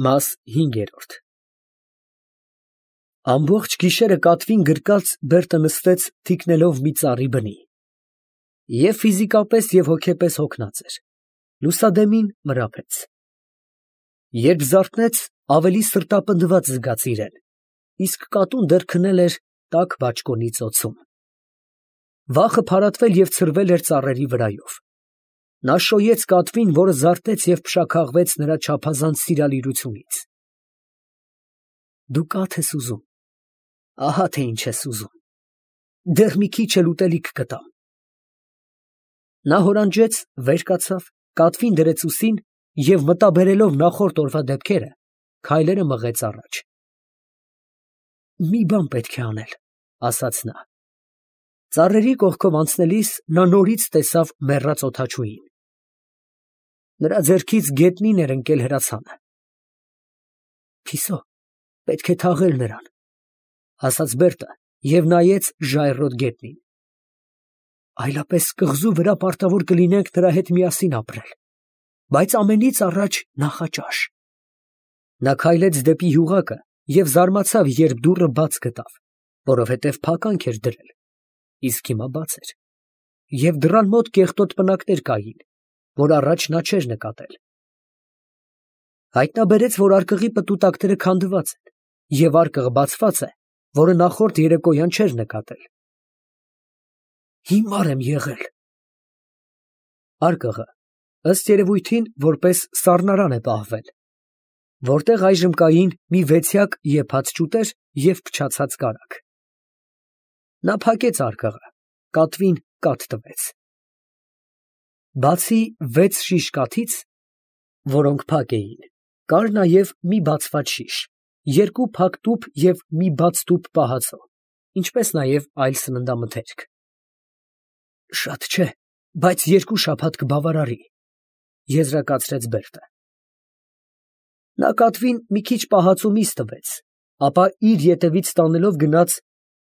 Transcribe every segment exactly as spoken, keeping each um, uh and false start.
Մաս հինգերորդ Ամբողջ գիշերը կատվին գրկած Բերտը նստեց թիկնելով մի ծառի բնի. և ֆիզիկապես և հոգեպես հոգնած էր, լուսադեմին մրափեց. երբ զարթնեց, ավելի սրտապնդված զգաց իրեն, իսկ կատուն դեռ քնել էր տաք բաճկոնի ծոցում. վախը փարատվել և ցրվել էր ծառերի վրայով. նա շոյեց կատվին, որը զարթեց և փշաքաղվեց նրա չափազանց սիրալիրությունից. Դու կաթ ես ուզում, ահա թե ինչ ես ուզում, դեռ մի քիչ էլ ուտելիք կտամ. նա հորանջեց, վեր կացավ, կատվին դրեց ուսին և մտաբերելով նախորդ օրվա դեպքերը, քայլերը մղեց առաջ. մի բան պետք է անել, ասաց նա. ծառերի կողքով անցնելիս նա նորից տեսավ մեռած օդաչուին. նրա ձեռքից գետնին էր ընկել հրացանը. պետք է թաղել նրան, ասաց Բերտը և նայեց ժայռոտ գետնին. այլապես կղզու վրա պարտավոր կլինենք նրա հետ միասին ապրել, բայց ամենից առաջ նախաճաշ. նա քայլեց դեպի յուղակը և զարմացավ, երբ դուռը բաց գտավ, որովհետև փականք էր դրել, իսկ հիմա բաց էր, և դռան մոտ կեղտոտ պնակներ կային, որ առաջ նա չէր նկատել. հայտնաբերեց, որ արկղի պտուտակները քանդված են, և արկղը բացված է, որը նախորդ երեկոյան չէր նկատել. հիմար եմ եղել. արկղը, ըստ երևույթին, որպես սառնարան է պահվել, որտեղ այժմ կային մի վեցյակ եփած ճուտեր և փչացած կարագ. նա փակեց արկղը, կատվին կաթ տվեց. բացի վեց շիշ կաթից, որոնք փակ էին, կար նաև մի բացված շիշ, երկու փակ տուփ և մի բաց տուփ պահածո, ինչպես նաև այլ սննդամթերք. շատ չէ, բայց երկու շաբաթ կբավարարի, եզրակացրեց Բերտը. նա կատվին մի քիչ պահածո միս տվեց, ապա իր ետևից տանելով գնաց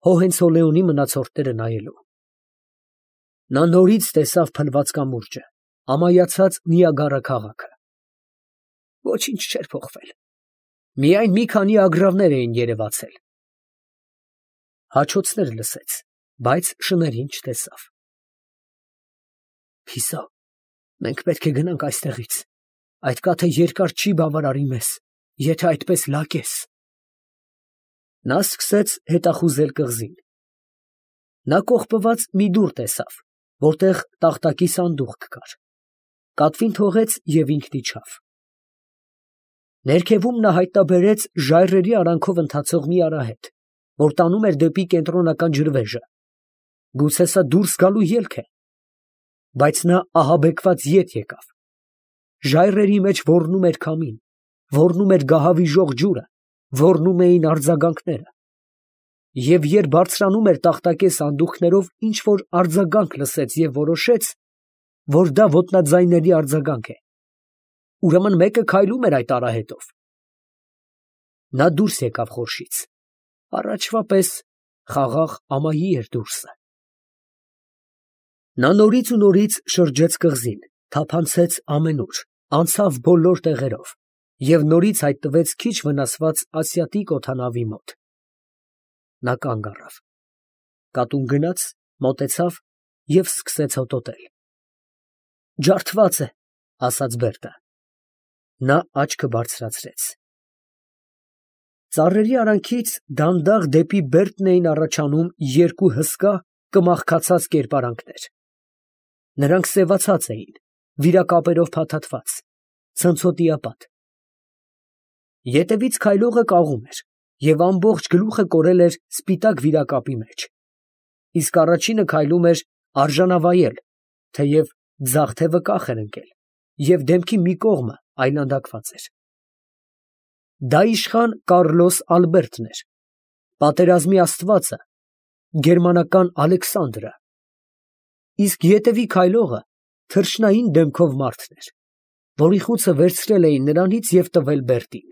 Հոհենցոլեոնի մնացորդները նայելու. նա նորից տեսավ փլված կամուրջը, ամայացած Նիագարա քաղաքը. ոչինչ չէր փոխվել, միայն մի քանի ագռավներ էին երևացել. հաչոցներ լսեց, բայց շներին չտեսավ. մենք պետք է գնանք այստեղից, այդ կաթը երկար չի բավարարի մեզ, եթե այդպես լակես. նա սկսեց հետախուզել կղզին. նա կողպված մի դուռ տեսավ, որտեղ տախտակի սանդուղք կար, կատվին թողեց և ինքն իջավ. ներքևում նա հայտնաբերեց ժայռերի արանքով ընթացող մի արահետ, որ տանում էր դեպի կենտրոնական ջրվեժը. գուցե սա դուրս գալու ելք է, բայց նա ահաբեկված ետ եկավ. ժայռերի մեջ ոռնում էր քամին, ոռնում էր գահավիժող ջուրը, ոռնում էին արձագանքները, և երբ բարձրանում էր տախտակե սանդուղքներով, ինչ֊որ արձագանք լսեց և որոշեց, որ դա ոտնաձայների արձագանք է. ուրեմն մեկը քայլում էր այդ արահետով. նա դուրս եկավ խորշից, առաջվա պես խաղաղ ամայի էր դուրսը. նա նորից ու նորից շրջեց կղզին, թափանցեց ամենուր, անցավ բոլոր տեղերով և նորից հայտնվեց քիչ վնասված ասիատիկ օդանավի մոտ. նա կանգ առավ. կատուն գնաց, մոտեցավ և սկսեց հոտոտել. ջարդված է, ասաց Բերտը. նա աչքը բարձրացրեց. ծառերի արանքից դանդաղ դեպի Բերտն էին առաջանում երկու հսկա, կմախքացած կերպարանքներ. նրանք սևացած էին, վիրակապերով փաթաթված, ցնցոտիապատ. ետևից քայլողը կաղում էր և ամբողջ գլուխը կորել էր սպիտակ վիրակապի մեջ, իսկ առաջինը քայլում էր արժանավայել, թեև ձախ թևը կախ էր ընկել և դեմքի մի կողմը այլանդակված էր. դա իշխան Կառլոս Ալբերտն էր, պատերազմի աստվածը, գերմանական Ալեքսանդրը, իսկ ետևի քայլողը թռչնային դեմքով մարդն էր, որի խուցը վերցրել էին նրանից և տվել Բերտին.